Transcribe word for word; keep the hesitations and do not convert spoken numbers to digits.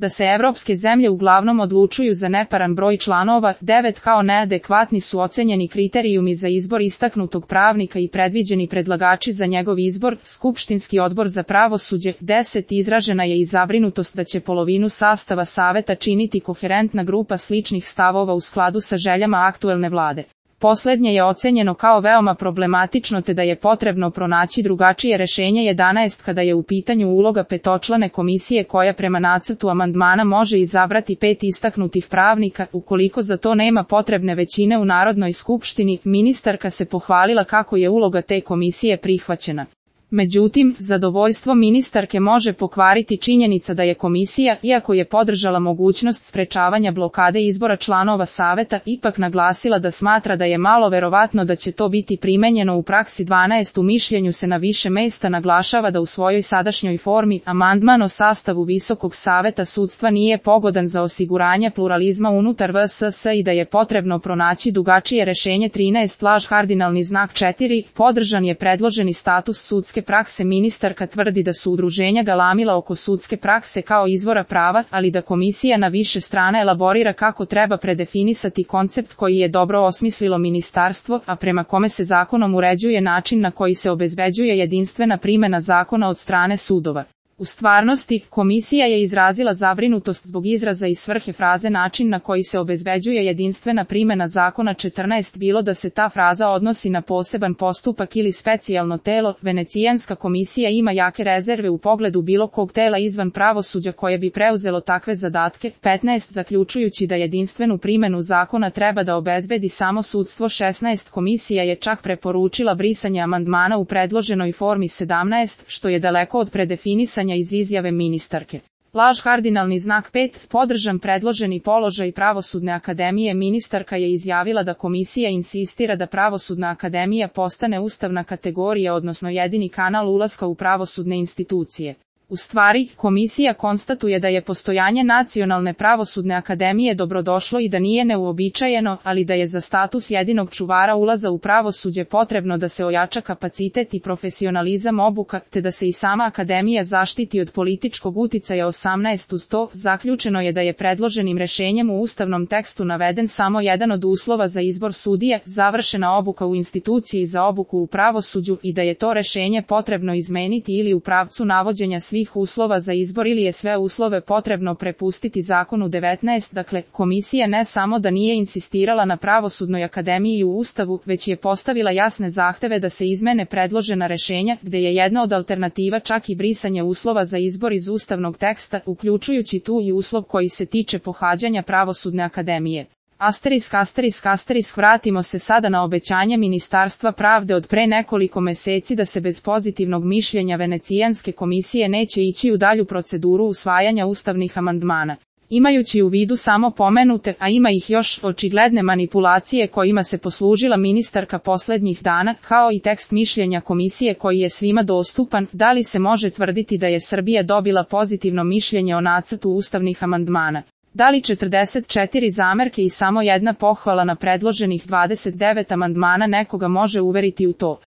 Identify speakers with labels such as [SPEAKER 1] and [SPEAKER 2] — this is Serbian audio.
[SPEAKER 1] da se evropske zemlje uglavnom odlučuju za neparan broj članova, devet kao neadekvatni su ocenjeni kriterijumi za izbor istaknutog pravnika i predviđeni predlagači za njegov izbor, Skupštinski odbor za pravosuđe, deset izražena je i zabrinutost da će polovinu sastava saveta činiti koherentna grupa sličnih stavova u skladu sa željama aktuelne vlade. Poslednje je ocenjeno kao veoma problematično te da je potrebno pronaći drugačije rešenje jedanaest kada je u pitanju uloga petočlane komisije koja prema nacrtu amandmana može izabrati pet istaknutih pravnika, ukoliko za to nema potrebne većine u Narodnoj skupštini. Ministarka se pohvalila kako je uloga te komisije prihvaćena. Međutim, zadovoljstvo ministarke može pokvariti činjenica da je komisija, iako je podržala mogućnost sprečavanja blokade izbora članova saveta, ipak naglasila da smatra da je malo verovatno da će to biti primenjeno u praksi. dvanaest U mišljenju se na više mesta naglašava da u svojoj sadašnjoj formi amandman o sastavu Visokog saveta sudstva nije pogodan za osiguranje pluralizma unutar V S S i da je potrebno pronaći drugačije rešenje. trinaest Laž kardinalni znak četiri Podržan je predloženi status sudske prakse. Ministarka tvrdi da su udruženja galamila oko sudske prakse kao izvora prava, ali da komisija na više strana elaborira kako treba predefinisati koncept koji je dobro osmislilo ministarstvo, a prema kome se zakonom uređuje način na koji se obezbeđuje jedinstvena primena zakona od strane sudova. U stvarnosti, komisija je izrazila zabrinutost zbog izraza i svrhe fraze način na koji se obezbeđuje jedinstvena primena zakona. četrnaest Bilo da se ta fraza odnosi na poseban postupak ili specijalno telo, Venecijanska komisija ima jake rezerve u pogledu bilo kog tela izvan pravosuđa koje bi preuzelo takve zadatke. petnaest Zaključujući da jedinstvenu primenu zakona treba da obezbedi samo sudstvo. šesnaest Komisija je čak preporučila brisanje amandmana u predloženoj formi. sedamnaest Što je daleko od predefinisanja iz izjave ministarke. Laž kardinalni znak pet Podržan predloženi položaj Pravosudne akademije. Ministarka je izjavila da komisija insistira da Pravosudna akademija postane ustavna kategorija, odnosno jedini kanal ulaska u pravosudne institucije. U stvari, komisija konstatuje da je postojanje Nacionalne pravosudne akademije dobrodošlo i da nije neuobičajeno, ali da je za status jedinog čuvara ulaza u pravosuđe potrebno da se ojača kapacitet i profesionalizam obuka, te da se i sama akademija zaštiti od političkog uticaja. osamnaest Uz to, zaključeno je da je predloženim rešenjem u ustavnom tekstu naveden samo jedan od uslova za izbor sudije, završena obuka u instituciji za obuku u pravosuđu, i da je to rešenje potrebno izmeniti ili u pravcu navođenja svih uslova za izbor ili je sve uslove potrebno prepustiti zakonu. devetnaest Dakle, komisija ne samo da nije insistirala na Pravosudnoj akademiji i u Ustavu, već je postavila jasne zahteve da se izmene predložena rešenja, gde je jedna od alternativa čak i brisanje uslova za izbor iz ustavnog teksta, uključujući tu i uslov koji se tiče pohađanja Pravosudne akademije. Asterisk, asterisk, asterisk Vratimo se sada na obećanje Ministarstva pravde od pre nekoliko meseci da se bez pozitivnog mišljenja Venecijanske komisije neće ići u dalju proceduru usvajanja ustavnih amandmana. Imajući u vidu samo pomenute, a ima ih još, očigledne manipulacije kojima se poslužila ministarka poslednjih dana, kao i tekst mišljenja komisije koji je svima dostupan, da li se može tvrditi da je Srbija dobila pozitivno mišljenje o nacrtu ustavnih amandmana? Da li četrdeset četiri zamerke i samo jedna pohvala na predloženih dvadeset devet amandmana nekoga može uveriti u to?